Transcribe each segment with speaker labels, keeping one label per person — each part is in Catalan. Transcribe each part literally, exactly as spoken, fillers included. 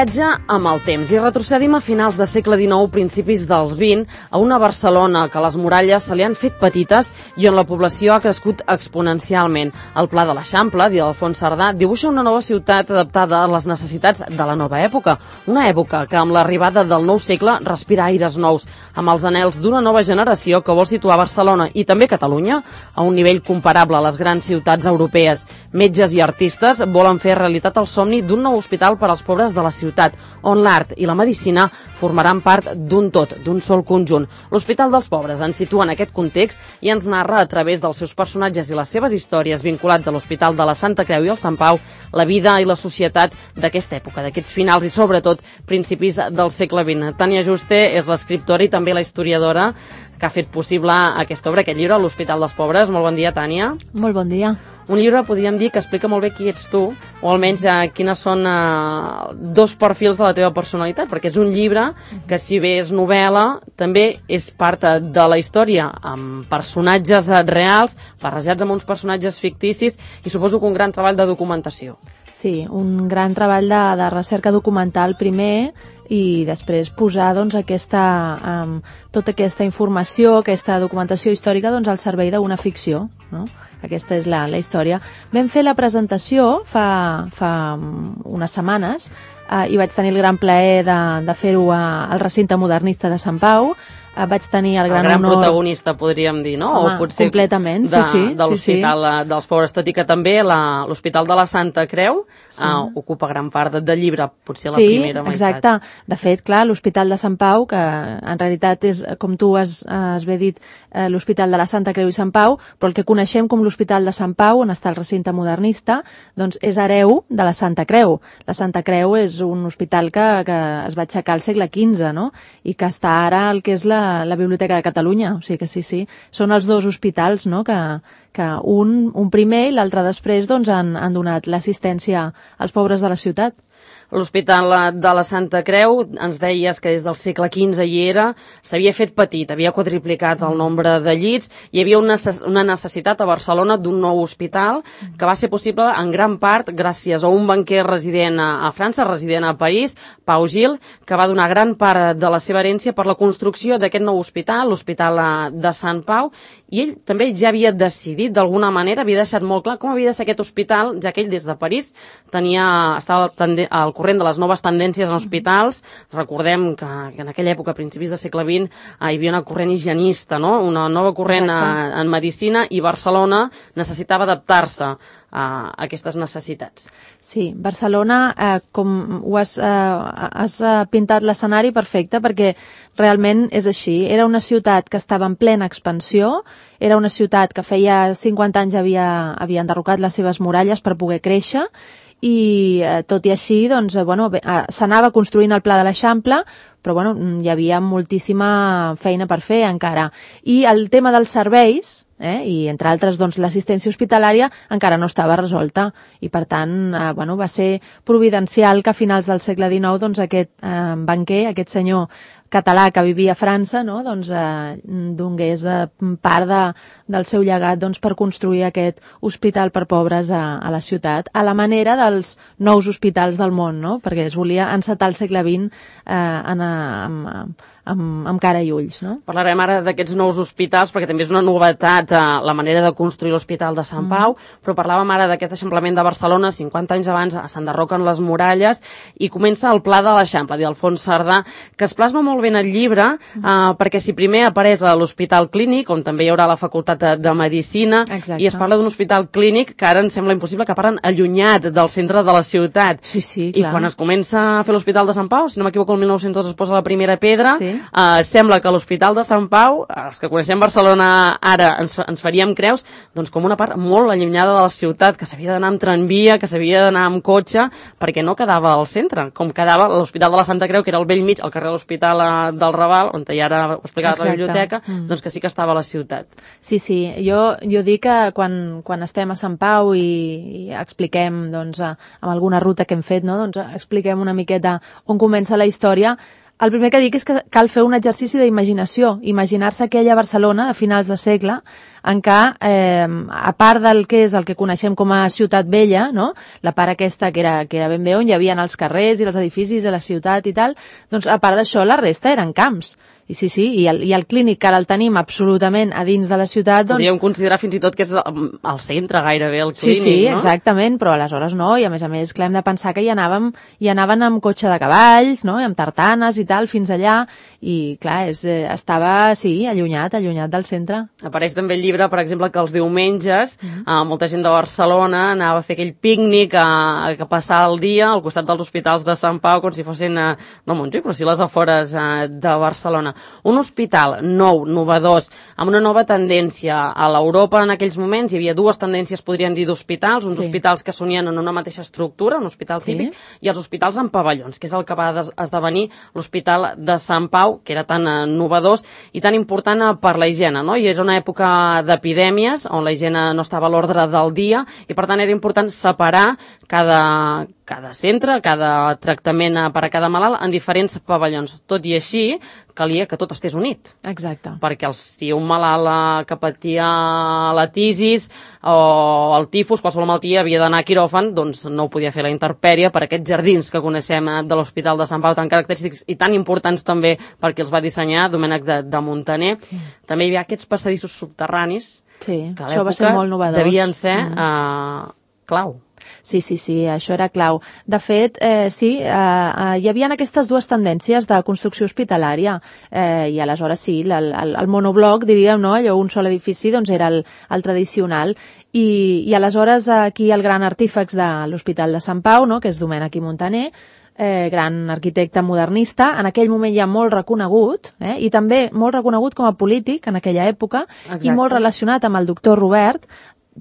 Speaker 1: viatge amb el temps i retrocedim a finals de segle dinou, principis del vint, a una Barcelona que les muralles se li han fet petites i on la població ha crescut exponencialment. El Pla de l'Eixample, d'Alfons Cerdà, dibuixa una nova ciutat adaptada a les necessitats de la nova època. Una època que, amb l'arribada del nou segle, respira aires nous, amb els anhels d'una nova generació que vol situar Barcelona i també Catalunya a un nivell comparable a les grans ciutats europees. Metges i artistes volen fer realitat el somni d'un nou hospital per als pobres de la ciutat, on l'art i la medicina formaran part d'un tot, d'un sol conjunt. L'Hospital dels Pobres ens situa en aquest context i ens narra a través dels seus personatges i les seves històries vinculats a l'Hospital de la Santa Creu i el Sant Pau, la vida i la societat d'aquesta època, d'aquests finals i sobretot principis del segle vint. Tània Juste és l'escriptora i també la historiadora que ha fet possible aquesta obra, aquest llibre, l'Hospital dels Pobres. Molt bon dia, Tània.
Speaker 2: Molt bon dia.
Speaker 1: Un llibre, podríem dir, que explica molt bé qui ets tu, o almenys eh, quines són eh, dos perfils de la teva personalitat, perquè és un llibre que, si bé és novel·la, també és part de la història, amb personatges reals, barrejats amb uns personatges ficticis, i suposo que un gran treball de documentació.
Speaker 2: Sí, un gran treball de, de recerca documental primer, i després posar doncs, aquesta, um, tota aquesta informació, aquesta documentació històrica doncs, al servei d'una ficció, no? Aquesta és la, la història. Vam fer la presentació fa, fa unes setmanes eh, i vaig tenir el gran plaer de, de fer-ho al recinte modernista de Sant Pau. Eh, vaig tenir el gran,
Speaker 1: el gran
Speaker 2: honor...
Speaker 1: protagonista, podríem dir, no?
Speaker 2: Home,
Speaker 1: o potser
Speaker 2: completament,
Speaker 1: de,
Speaker 2: sí, sí.
Speaker 1: De l'Hospital
Speaker 2: sí, sí.
Speaker 1: dels Pobres, tot i que també l'Hospital de la Santa Creu sí. eh, ocupa gran part del de llibre, potser la
Speaker 2: sí,
Speaker 1: primera meitat.
Speaker 2: Exacte. De fet, clar, l'Hospital de Sant Pau, que en realitat és, com tu has, has bé dit, eh, l'Hospital de la Santa Creu i Sant Pau, però el que coneixem com l'Hospital de Sant Pau, on està el recinte modernista, doncs és hereu de la Santa Creu. La Santa Creu és un hospital que, que es va aixecar al segle quinze, no? I que està ara el que és la, la Biblioteca de Catalunya, o sigui que sí, sí, són els dos hospitals, no?, que, que un, un primer i l'altre després doncs, han, han donat l'assistència als pobres de la ciutat.
Speaker 1: L'Hospital de la Santa Creu, ens deies que des del segle quinze hi era, s'havia fet petit, havia quadriplicat el nombre de llits, hi havia una, una necessitat a Barcelona d'un nou hospital que va ser possible en gran part gràcies a un banquer resident a, a França, resident a París, Pau Gil, que va donar gran part de la seva herència per la construcció d'aquest nou hospital, l'Hospital de Sant Pau, i ell també ja havia decidit, d'alguna manera, havia deixat molt clar com havia de ser aquest hospital, ja que ell des de París tenia, estava al, al corrent de les noves tendències en hospitals. Recordem que, que en aquella època, a principis del segle vint, hi havia una corrent higienista, no? Una nova corrent a, en medicina, i Barcelona necessitava adaptar-se a aquestes necessitats.
Speaker 2: Sí, Barcelona, eh, com ho has, eh, has pintat l'escenari perfecte, perquè realment és així. Era una ciutat que estava en plena expansió, era una ciutat que feia cinquanta anys havia, havia enderrocat les seves muralles per poder créixer, i eh, tot i així doncs, eh, bueno, eh, s'anava construint el Pla de l'Eixample, però bueno, hi havia moltíssima feina per fer encara. I el tema dels serveis, eh, i entre altres doncs, l'assistència hospitalària, encara no estava resolta, i per tant eh, bueno, va ser providencial que a finals del segle dinou doncs, aquest eh, banquer, aquest senyor català que vivia a França, no? doncs, eh, donés eh, part de, del seu llegat doncs, per construir aquest hospital per pobres a, a la ciutat, a la manera dels nous hospitals del món, no? Perquè es volia encetar el segle vint eh, en, amb, amb, amb, amb cara i ulls. No?
Speaker 1: Parlarem ara d'aquests nous hospitals, perquè també és una novetat eh, la manera de construir l'Hospital de Sant Pau, mm. però parlàvem ara d'aquest eixamplament de Barcelona, cinquanta anys abans s'enderroquen les muralles, i comença el Pla de l'Eixample, d'Alfons Cerdà, que es plasma molt ben el llibre, eh, perquè si primer apareix a l'Hospital Clínic, on també hi haurà la Facultat de, de Medicina,
Speaker 2: exacte,
Speaker 1: i es parla d'un hospital clínic que ara ens sembla impossible, que parlen allunyat del centre de la ciutat.
Speaker 2: Sí, sí,
Speaker 1: I
Speaker 2: clar.
Speaker 1: quan es comença a fer l'Hospital de Sant Pau, si no m'equivoco, el mil nou-cents dos es posa la primera pedra,
Speaker 2: sí.
Speaker 1: eh, sembla que l'Hospital de Sant Pau, els que coneixem Barcelona ara, ens, ens faríem creus, doncs com una part molt allunyada de la ciutat, que s'havia d'anar amb tramvia, que s'havia d'anar amb cotxe, perquè no quedava al centre, com quedava l'Hospital de la Santa Creu, que era al vell mig, al carrer de l'Hospital del Raval, on ja ara ho explicaves a la biblioteca, mm. doncs que sí que estava a la ciutat.
Speaker 2: Sí, sí, jo, jo dic que quan, quan estem a Sant Pau i, i expliquem, doncs, amb alguna ruta que hem fet, no? doncs expliquem una miqueta on comença la història, el primer que dic és que cal fer un exercici d'imaginació, imaginar-se aquella Barcelona de finals de segle, en què, eh, a part del que és el que coneixem com a Ciutat Vella, no? La part aquesta que era, que era ben bé on hi havia els carrers i els edificis de la ciutat i tal, doncs a part d'això la resta eren camps. I sí, sí, i el, i el clínic que ara el tenim absolutament a dins de la ciutat, doncs...
Speaker 1: Podríem considerar fins i tot que és al centre gairebé, el clínic,
Speaker 2: sí, sí,
Speaker 1: no?
Speaker 2: exactament, però aleshores no, i a més a més, clar, hem de pensar que hi anàvem, hi anaven amb cotxe de cavalls, no?, i amb tartanes i tal, fins allà, i clar, és, eh, estava, sí, allunyat, allunyat del centre.
Speaker 1: Apareix també el llibre, per exemple, que els diumenges
Speaker 2: Mm-hmm.
Speaker 1: eh, molta gent de Barcelona anava a fer aquell pícnic a, a passar el dia al costat dels hospitals de Sant Pau, com si fossin, eh, no Montjuïc, però sí les afores eh, de Barcelona. Un hospital nou, novedós, amb una nova tendència. A l'Europa en aquells moments hi havia dues tendències, podríem dir, d'hospitals, uns
Speaker 2: sí.
Speaker 1: hospitals que s'unien en una mateixa estructura, un hospital
Speaker 2: sí.
Speaker 1: típic, i els hospitals en pavellons, que és el que va esdevenir l'Hospital de Sant Pau, que era tan eh, novedós i tan important eh, per la higiene, no? I era una època d'epidèmies, on la higiene no estava a l'ordre del dia, i per tant era important separar cada, cada centre, cada tractament per a cada malalt en diferents pavellons. Tot i així, calia que tot estés unit.
Speaker 2: Exacte.
Speaker 1: Perquè el, si un malalt eh, que patia la tisis o el tifus, qualsevol malaltia, havia d'anar a quiròfan, doncs no ho podia fer la intempèrie per aquests jardins que coneixem de l'Hospital de Sant Pau, tan característics i tan importants també perquè els va dissenyar Domènec de, de Muntaner. Sí. També hi havia aquests passadissos subterranis
Speaker 2: sí,
Speaker 1: que a
Speaker 2: això va ser molt novedós.
Speaker 1: Devien ser mm. eh, clau.
Speaker 2: Sí, sí, sí, això era clau. De fet, eh, sí, eh, eh, hi havia aquestes dues tendències de construcció hospitalària eh, i aleshores sí, el, el, el monobloc, diríem, no? Allò, un sol edifici, doncs era el, el tradicional. I, i aleshores aquí el gran artífex de l'Hospital de Sant Pau, no? Que és Domènec i Muntaner, eh, gran arquitecte modernista, en aquell moment ja molt reconegut, eh, i també molt reconegut com a polític en aquella època. Exacte. I molt relacionat amb el doctor Robert.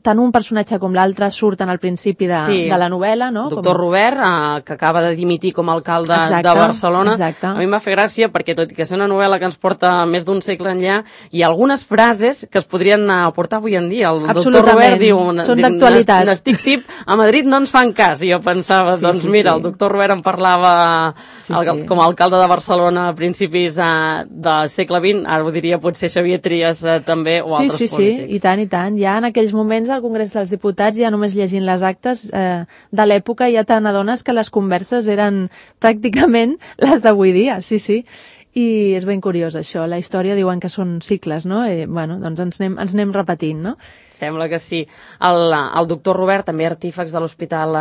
Speaker 2: Tant un personatge com l'altre surten al principi de, sí. de la novel·la, no?
Speaker 1: Doctor com... Robert, eh, que acaba de dimitir com a alcalde exacte, de Barcelona.
Speaker 2: Exacte.
Speaker 1: A mi em va fer gràcia perquè, tot i que és una novel·la que ens porta més d'un segle enllà, hi ha algunes frases que es podrien aportar avui en dia. El doctor Robert diu...
Speaker 2: Són d'actualitat.
Speaker 1: N'estic tip, a Madrid no ens fan cas. I jo pensava, sí, doncs sí, mira, sí. el doctor Robert en parlava sí, el, sí. com a alcalde de Barcelona a principis eh, del segle vint, ara ho diria potser Xavier Trias eh, també, o
Speaker 2: sí,
Speaker 1: altres
Speaker 2: sí,
Speaker 1: polítics.
Speaker 2: Sí, i tant, i tant. Ja en aquells moments al Congrés dels Diputats, ja només llegint les actes eh, de l'època, ja te n'adones que les converses eren pràcticament les d'avui dia, sí, sí. I és ben curiós això, la història diuen que són cicles, no? I, bueno, doncs ens anem, ens anem repetint, no?
Speaker 1: Sembla que sí. El, el doctor Robert, també artífex de l'Hospital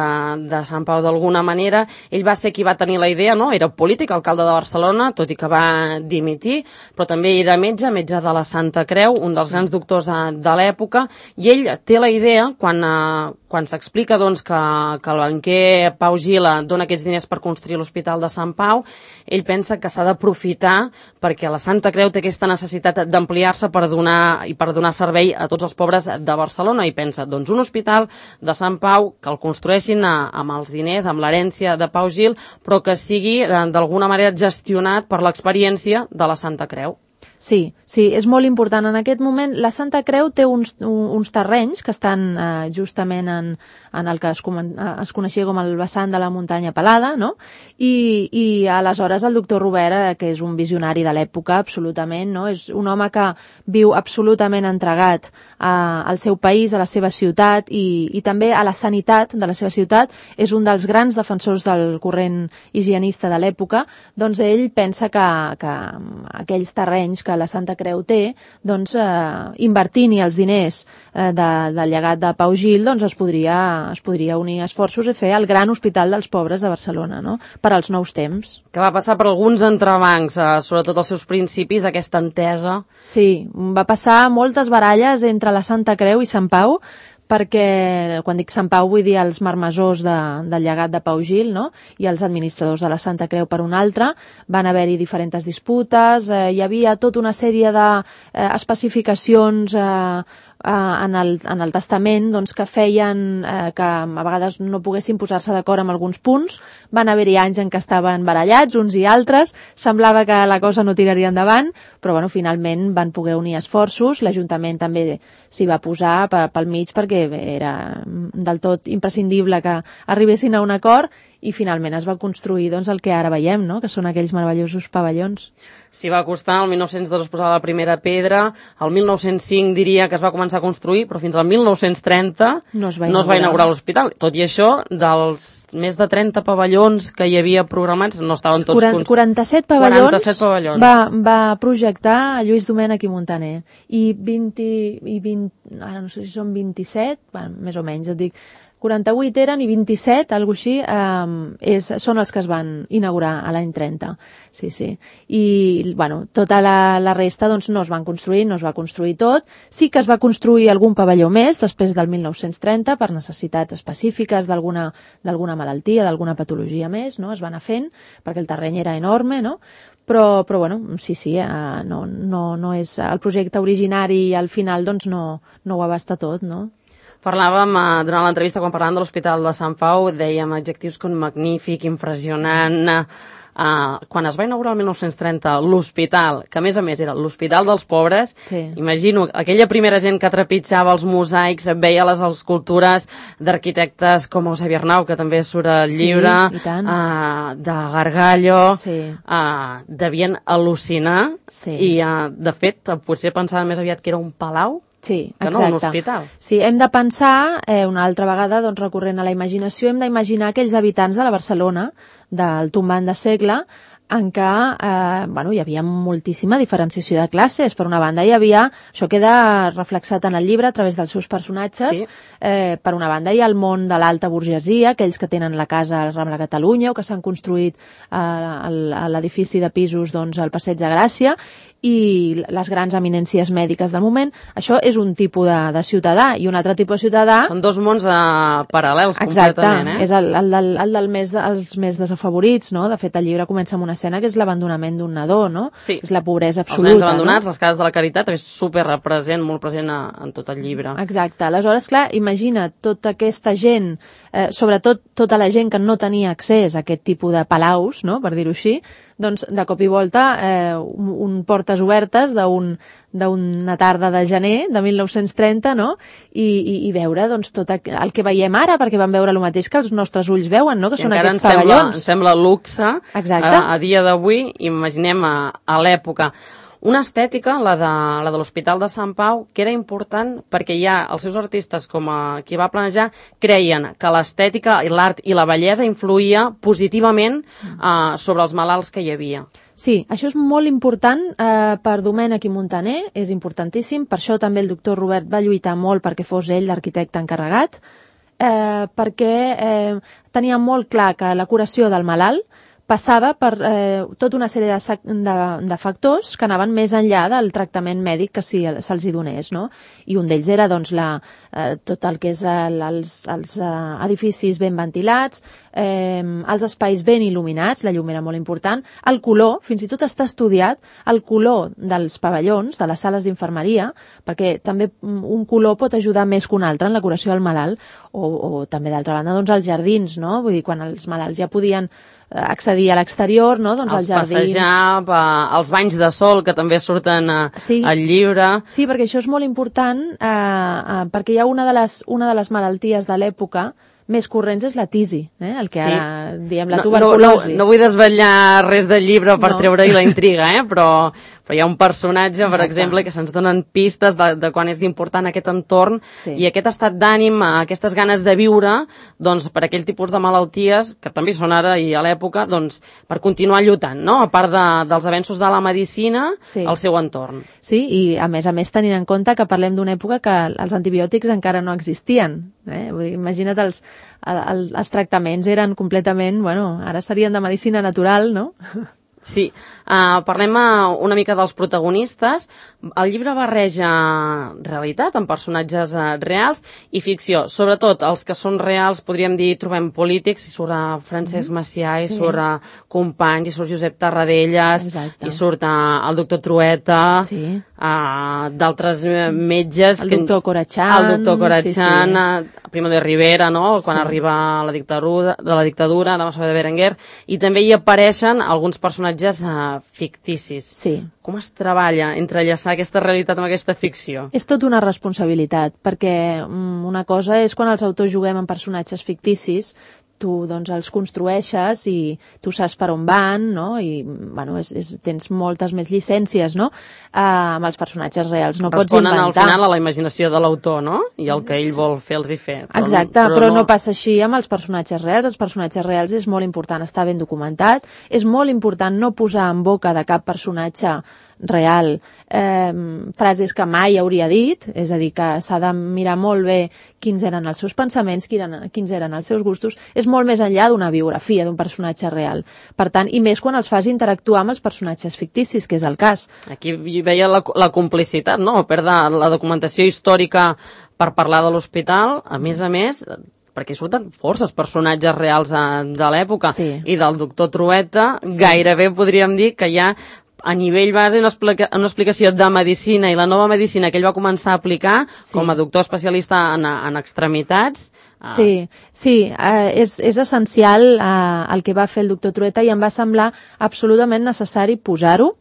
Speaker 1: de Sant Pau d'alguna manera, ell va ser qui va tenir la idea, no? Era polític, alcalde de Barcelona, tot i que va dimitir, però també era metge, metge de la Santa Creu, un dels sí. grans doctors de l'època, i ell té la idea, quan, quan s'explica doncs, que, que el banquer Pau Gila dona aquests diners per construir l'Hospital de Sant Pau, ell pensa que s'ha d'aprofitar perquè la Santa Creu té aquesta necessitat d'ampliar-se per donar, i per donar servei a tots els pobres de Barcelona, i pensa, doncs un hospital de Sant Pau que el construeixin a, amb els diners, amb l'herència de Pau Gil, però que sigui d'alguna manera gestionat per l'experiència de la Santa Creu.
Speaker 2: Sí, sí, és molt important. En aquest moment la Santa Creu té uns, uns terrenys que estan eh, justament en, en el que es, es coneixia com el vessant de la muntanya pelada, no? I, i aleshores el doctor Robert, eh, que és un visionari de l'època, absolutament, no? És un home que viu absolutament entregat a, al seu país, a la seva ciutat i, i també a la sanitat de la seva ciutat. És un dels grans defensors del corrent higienista de l'època. Doncs ell pensa que, que aquells terrenys que la Santa Creu té, doncs eh, invertint-hi els diners eh, de, del llegat de Pau Gil, doncs es podria, es podria unir esforços i fer el gran hospital dels pobres de Barcelona, no? Per als nous temps.
Speaker 1: Que va passar per alguns entrebancs, eh, sobretot als seus principis, aquesta entesa.
Speaker 2: Sí, va passar moltes baralles entre la Santa Creu i Sant Pau, perquè, quan dic Sant Pau, vull dir els marmessors de, del llegat de Pau Gil, no? I els administradors de la Santa Creu per un altre. Van haver-hi diferents disputes, eh, hi havia tota una sèrie d'especificacions eh, eh, en el, en el testament, doncs, que feien eh, que a vegades no poguessin posar-se d'acord amb alguns punts. Van haver-hi anys en què estaven barallats uns i altres, semblava que la cosa no tiraria endavant, però bueno, finalment van poder unir esforços. L'Ajuntament també s'hi va posar pel mig perquè era del tot imprescindible que arribessin a un acord i finalment es va construir doncs, el que ara veiem, no? Que són aquells meravellosos pavellons.
Speaker 1: S'hi va costar, el mil nou-cents dos es posava la primera pedra, el mil nou-cents cinc diria que es va començar a construir, però fins al mil nou-cents trenta
Speaker 2: no es va
Speaker 1: no es va
Speaker 2: inaugurar,
Speaker 1: inaugurar l'hospital. Tot i això, dels més de trenta pavellons que hi havia programats, no estaven tots...
Speaker 2: quaranta, quaranta-set pavellons,
Speaker 1: quaranta-set pavellons.
Speaker 2: Va, va projectar Lluís Domènech i Muntaner. I vint, i vint, ara no sé si són vint-i-set, bueno, més o menys, et dic, quaranta-vuit eren i vint-i-set, alguna cosa així, eh, és, són els que es van inaugurar a l'any trenta. Sí, sí. I, bueno, tota la, la resta doncs, no es van construir, no es va construir tot. Sí que es va construir algun pavelló més després del mil nou-cents trenta per necessitats específiques d'alguna d'alguna malaltia, d'alguna patologia més, no? Es va anar fent perquè el terreny era enorme, no? Però, però bueno, sí, sí, eh, no, no, no és el projecte originari i al final doncs no, no ho abasta tot, no?
Speaker 1: Parlàvem, eh, durant l'entrevista, quan parlàvem de l'Hospital de Sant Pau, dèiem adjectius com magnífic, impressionant. Eh, quan es va inaugurar el mil nou-cents trenta l'hospital, que a més a més era l'Hospital dels Pobres,
Speaker 2: Sí.
Speaker 1: imagino aquella primera gent que trepitjava els mosaics, veia les escultures d'arquitectes com Eusebi Arnau, que també surt al
Speaker 2: Sí,
Speaker 1: llibre,
Speaker 2: i tant.
Speaker 1: eh, de Gargallo,
Speaker 2: Sí.
Speaker 1: eh, devien al·lucinar,
Speaker 2: Sí.
Speaker 1: i eh, de fet potser pensaven més aviat que era un palau,
Speaker 2: Sí,
Speaker 1: que no
Speaker 2: exacte.
Speaker 1: un hospital.
Speaker 2: Sí, hem de pensar, eh, una altra vegada, doncs, recorrent a la imaginació, hem d'imaginar aquells habitants de la Barcelona, del tombant de segle, en què eh, bueno, hi havia moltíssima diferenciació de classes. Per una banda, hi havia, això queda reflexat en el llibre a través dels seus personatges,
Speaker 1: Sí.
Speaker 2: eh, per una banda hi ha el món de l'alta burgesia, aquells que tenen la casa al Rambla Catalunya o que s'han construït eh, a l'edifici de pisos doncs, al Passeig de Gràcia, i les grans eminències mèdiques del moment. Això és un tipus de, de ciutadà, i un altre tipus de ciutadà...
Speaker 1: Són dos mons eh, paral·lels,
Speaker 2: Exacte,
Speaker 1: completament, eh?
Speaker 2: és el, el, del, el del més de, els més desafavorits, no? De fet, el llibre comença amb una escena que és l'abandonament d'un nadó, no?
Speaker 1: Sí.
Speaker 2: És la pobresa
Speaker 1: Els
Speaker 2: absoluta.
Speaker 1: nens abandonats,
Speaker 2: no?
Speaker 1: les cases de la caritat, és super represent, molt present a, en tot el llibre.
Speaker 2: Exacte. Aleshores, clar, imagina tota aquesta gent, eh, sobretot tota la gent que no tenia accés a aquest tipus de palaus, no? Per dir-ho així, doncs de cop i volta eh, un, un portes obertes d'un d'una tarda de gener de mil nou-cents trenta, no? I, i, i veure doncs, tot el que veiem ara, perquè vam veure el mateix que els nostres ulls veuen, no? Que
Speaker 1: Sí,
Speaker 2: són
Speaker 1: encara
Speaker 2: aquests
Speaker 1: ens sembla,
Speaker 2: pavellons.
Speaker 1: ens sembla luxe
Speaker 2: Exacte.
Speaker 1: a, a dia d'avui, imaginem a, a l'època. Una estètica, la de, la de l'Hospital de Sant Pau, que era important perquè ja els seus artistes, com a, qui va planejar, creien que l'estètica, l'art i la bellesa influïa positivament eh, sobre els malalts que hi havia.
Speaker 2: Sí, això és molt important eh, per Domènech i Muntaner, és importantíssim, per això també el doctor Robert va lluitar molt perquè fos ell l'arquitecte encarregat, eh, perquè eh, tenia molt clar que la curació del malalt passava per eh, tota una sèrie de, de, de factors que anaven més enllà del tractament mèdic que si se'ls hi donés, no? I un d'ells era doncs, la, eh, tot el que és el, els, els eh, edificis ben ventilats, eh, els espais ben il·luminats, la llum era molt important, el color, fins i tot està estudiat, el color dels pavellons, de les sales d'infermeria, perquè també un color pot ajudar més que un altre en la curació del malalt, o, o també d'altra banda doncs, els jardins, no? Vull dir, quan els malalts ja podien accedir a l'exterior, no? Doncs
Speaker 1: els
Speaker 2: als jardins.
Speaker 1: passejar, eh, els banys de sol, que també surten eh,
Speaker 2: Sí.
Speaker 1: al llibre.
Speaker 2: Sí, perquè això és molt important, eh, eh, perquè hi ha una de les, una de les malalties de l'època més corrents és la tisi, eh? El que ara sí. diem la tuberculosi.
Speaker 1: No, no, no vull desvetllar res del llibre per
Speaker 2: No.
Speaker 1: treure-hi la intriga, eh? però, però hi ha un personatge, per
Speaker 2: Exacte.
Speaker 1: exemple, que se'ns donen pistes de, de quan és d'important aquest entorn
Speaker 2: Sí.
Speaker 1: i aquest estat d'ànim, aquestes ganes de viure, doncs, per aquell tipus de malalties, que també són ara i a l'època, doncs, per continuar lluitant, no? A part de, dels avenços de la medicina,
Speaker 2: Sí.
Speaker 1: al seu entorn.
Speaker 2: Sí, i a més a més tenint en compte que parlem d'una època que els antibiòtics encara no existien. Eh? Vull dir, imagina't, els, el, els tractaments eren completament, bueno, ara serien de medicina natural, no?
Speaker 1: Sí, uh, parlem uh, una mica dels protagonistes. El llibre barreja realitat amb personatges uh, reals i ficció. Sobretot els que són reals, podríem dir, trobem polítics, hi surt uh, Francesc Macià, hi
Speaker 2: Sí.
Speaker 1: surt uh, Companys, hi surt Josep Tarradellas,
Speaker 2: Exacte.
Speaker 1: hi surt uh, el doctor Trueta,
Speaker 2: Sí.
Speaker 1: uh, d'altres uh, metges...
Speaker 2: El doctor Corachán.
Speaker 1: El doctor Corachán,
Speaker 2: Sí, sí.
Speaker 1: uh, Primo de Rivera, no? Quan
Speaker 2: Sí.
Speaker 1: arriba la dictadura, de la dictadura, de Massó de Berenguer, i també hi apareixen alguns personatges uh, ficticis.
Speaker 2: Sí.
Speaker 1: Com es treballa entrellaçar aquesta realitat amb aquesta ficció?
Speaker 2: És tot una responsabilitat, perquè mm, una cosa és quan els autors juguem amb personatges ficticis, tu doncs, els construeixes i tu saps per on van, no? I bueno, és, és, tens moltes més llicències, no? Uh, amb els personatges reals. No pots
Speaker 1: Responen
Speaker 2: inventar.
Speaker 1: al final a la imaginació de l'autor, no? I el que ell vol fer els hi fer.
Speaker 2: Però, exacte, però, però no... no passa així amb els personatges reals. Els personatges reals és molt important estar ben documentat, és molt important no posar en boca de cap personatge real eh, frases que mai hauria dit, és a dir, que s'ha de mirar molt bé quins eren els seus pensaments, quins eren, quins eren els seus gustos, és molt més enllà d'una biografia d'un personatge real. Per tant, i més quan els fas interactuar amb els personatges ficticis, que és el cas.
Speaker 1: Aquí hi veia la, la complicitat, no? Per de la documentació històrica per parlar de l'hospital, a més a més, perquè surten forces personatges reals de l'època, sí. I del doctor Trueta, sí. Gairebé podríem dir que hi ha a nivell base una, explica una explicació de medicina i la nova medicina que ell va començar a aplicar sí. Com a doctor especialista en, en extremitats. Ah.
Speaker 2: Sí, sí, eh, és, és essencial eh, el que va fer el doctor Trueta i em va semblar absolutament necessari posar-ho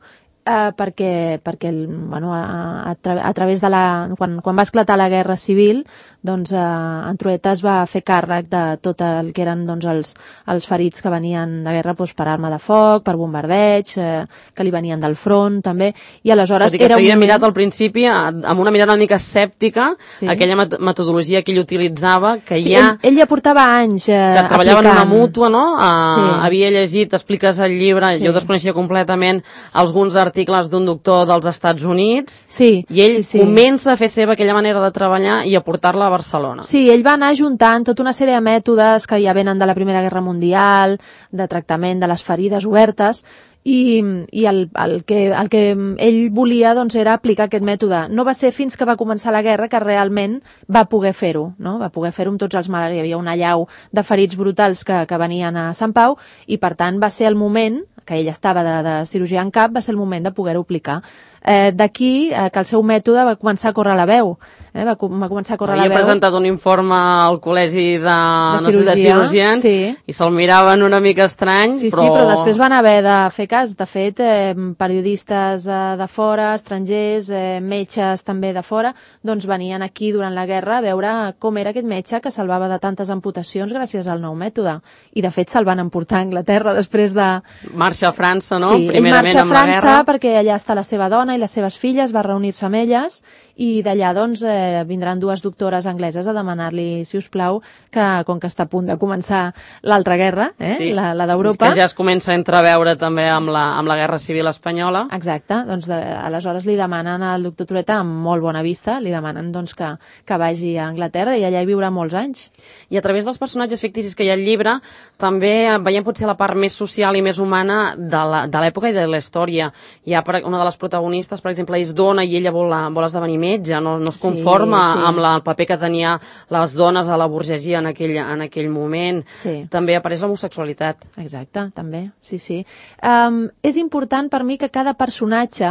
Speaker 2: eh, perquè, perquè el, bueno, a, a, tra a través de la... Quan, quan va esclatar la Guerra Civil, doncs eh, en Trueta es va fer càrrec de tot el que eren doncs, els, els ferits que venien de guerra doncs, per arma de foc, per bombardeig, eh, que li venien del front també, i aleshores...
Speaker 1: Tot i que
Speaker 2: s'havia
Speaker 1: moment... mirat al principi amb una mirada una mica escèptica, sí. Aquella met metodologia que ell utilitzava, que
Speaker 2: sí,
Speaker 1: ja...
Speaker 2: Ell, ell ja portava anys eh,
Speaker 1: que treballava
Speaker 2: aplicant.
Speaker 1: En una mútua, no? Uh,
Speaker 2: sí.
Speaker 1: Havia llegit, expliques el llibre, sí. Jo desconeixia completament alguns articles d'un doctor dels Estats Units,
Speaker 2: sí.
Speaker 1: I ell
Speaker 2: sí, sí.
Speaker 1: comença a fer seva aquella manera de treballar i a portar-la a Barcelona.
Speaker 2: Sí, ell va anar juntant tota una sèrie de mètodes que ja venen de la Primera Guerra Mundial, de tractament de les ferides obertes, i, i el, el, que, el que ell volia doncs, era aplicar aquest mètode. No va ser fins que va començar la guerra que realment va poder fer-ho, no? Va poder fer-ho amb tots els malalts. Hi havia una allau de ferits brutals que, que venien a Sant Pau i, per tant, va ser el moment, que ell estava de, de cirurgia en cap, va ser el moment de poder-ho aplicar. Eh, D'aquí eh, que el seu mètode va començar a córrer la veu. Eh, va, va començar a córrer
Speaker 1: Havia
Speaker 2: la veu.
Speaker 1: presentat un informe al col·legi de,
Speaker 2: de,
Speaker 1: no
Speaker 2: cirurgia,
Speaker 1: sé, de cirurgians
Speaker 2: sí.
Speaker 1: I se'l miraven una mica estrany,
Speaker 2: sí,
Speaker 1: però...
Speaker 2: Sí, però després van haver de fer cas. De fet, eh, periodistes eh, de fora, estrangers, eh, metges també de fora, doncs venien aquí durant la guerra a veure com era aquest metge que salvava de tantes amputacions gràcies al nou mètode. I, de fet, se'l van emportar a Anglaterra després de...
Speaker 1: Marxa a França, no?
Speaker 2: Sí, ell marxa a França perquè allà està la seva dona i les seves filles, va reunir-se amb elles i d'allà doncs eh, vindran dues doctores angleses a demanar-li, si us plau, que com que està a punt de començar l'altra guerra, eh, sí. la, la d'Europa...
Speaker 1: Que ja es comença a entreveure també amb la, amb la Guerra Civil Espanyola.
Speaker 2: Exacte, doncs de, aleshores li demanen al doctor Trueta amb molt bona vista, li demanen doncs que, que vagi a Anglaterra i allà hi viurà molts anys.
Speaker 1: I a través dels personatges ficticis que hi ha al llibre també veiem potser la part més social i més humana de l'època i de la història. Hi ha una de les protagonistes, per exemple, és dona i ella vol, vol esdevenir metge, no, no es conforma sí, sí. amb la, el paper que tenia les dones a la burgesia en aquell, en aquell moment.
Speaker 2: Sí.
Speaker 1: També apareix l'homosexualitat.
Speaker 2: Exacte, també, sí, sí. Um, és important per mi que cada personatge,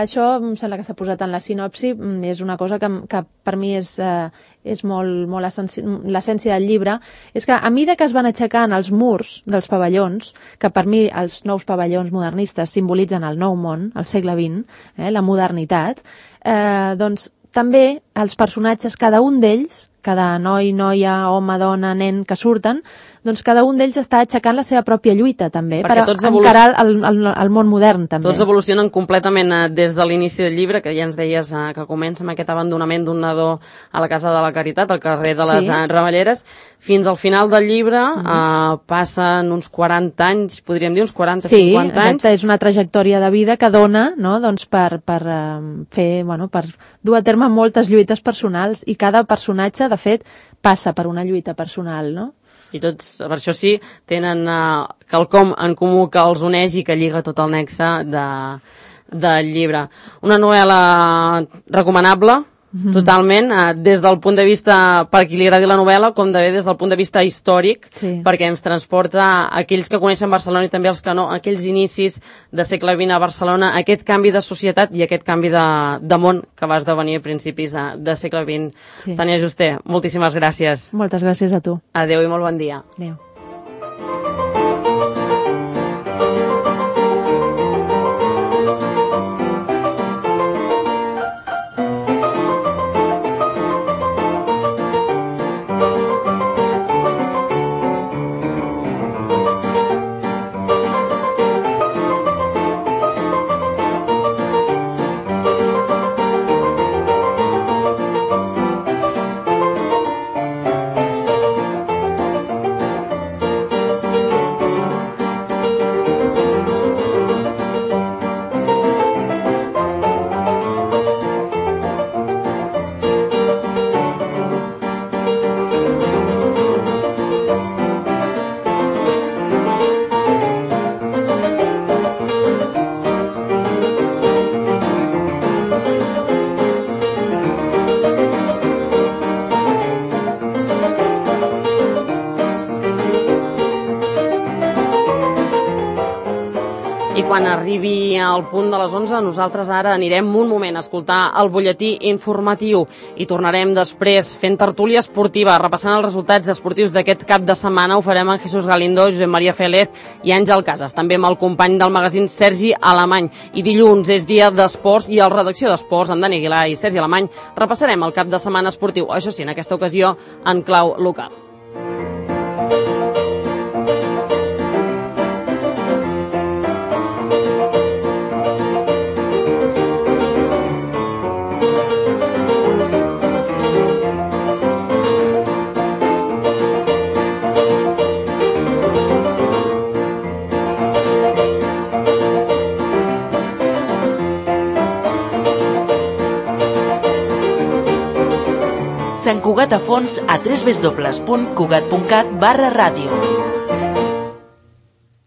Speaker 2: això em sembla que s'ha posat en la sinopsi, és una cosa que, que per mi és, uh, és molt, molt l'essència del llibre, és que a mesura que es van aixecant els murs dels pavellons, que per mi els nous pavellons modernistes simbolitzen el nou món, el segle vint, eh, la modernitat, eh, doncs també els personatges, cada un d'ells, cada noi, noia, home, dona, nen que surten, doncs cada un d'ells està aixecant la seva pròpia lluita també,
Speaker 1: perquè
Speaker 2: per encarar el, el, el món modern també.
Speaker 1: Tots evolucionen completament eh, des de l'inici del llibre, que ja ens deies eh, que comença amb aquest abandonament d'un nadó a la Casa de la Caritat, al carrer de les sí. eh, Ramelleres, fins al final del llibre mm -hmm. eh, passen uns quaranta anys, podríem dir uns quaranta
Speaker 2: sí,
Speaker 1: cinquanta anys.
Speaker 2: Sí, exacte, és una trajectòria de vida que dona, no?, doncs per, per uh, fer, bueno, per dur a terme moltes lluites personals i cada personatge, de fet, passa per una lluita personal, no?
Speaker 1: I tots, per això sí, tenen uh, quelcom en comú que els uneix i que lliga tot el nexe de, del llibre. Una novel·la recomanable, mm-hmm. totalment, uh, des del punt de vista, per qui li agradi la novel·la, com també des del punt de vista històric,
Speaker 2: sí.
Speaker 1: perquè ens transporta aquells que coneixen Barcelona i també els que no, aquells inicis de segle vint a Barcelona, aquest canvi de societat i aquest canvi de, de món que va esdevenir a principis de, de segle vint. Sí. Tània Juste, moltíssimes gràcies.
Speaker 2: Moltes gràcies a tu.
Speaker 1: Adéu i molt bon dia.
Speaker 2: Adéu.
Speaker 1: arribi al punt de les onze, nosaltres ara anirem un moment a escoltar el butlletí informatiu i tornarem després fent tertúlia esportiva, repassant els resultats esportius d'aquest cap de setmana. Ho farem amb Jesús Galindo, Josep Maria Félez i Àngel Casas, també amb el company del magazín Sergi Alemany. I dilluns és dia d'esports i a la redacció d'esports, amb Dani Aguilar i Sergi Alemany, repassarem el cap de setmana esportiu, això sí, en aquesta ocasió en clau local.
Speaker 3: Sant Cugat a fons a w w w punt cugat punt cat barra ràdio.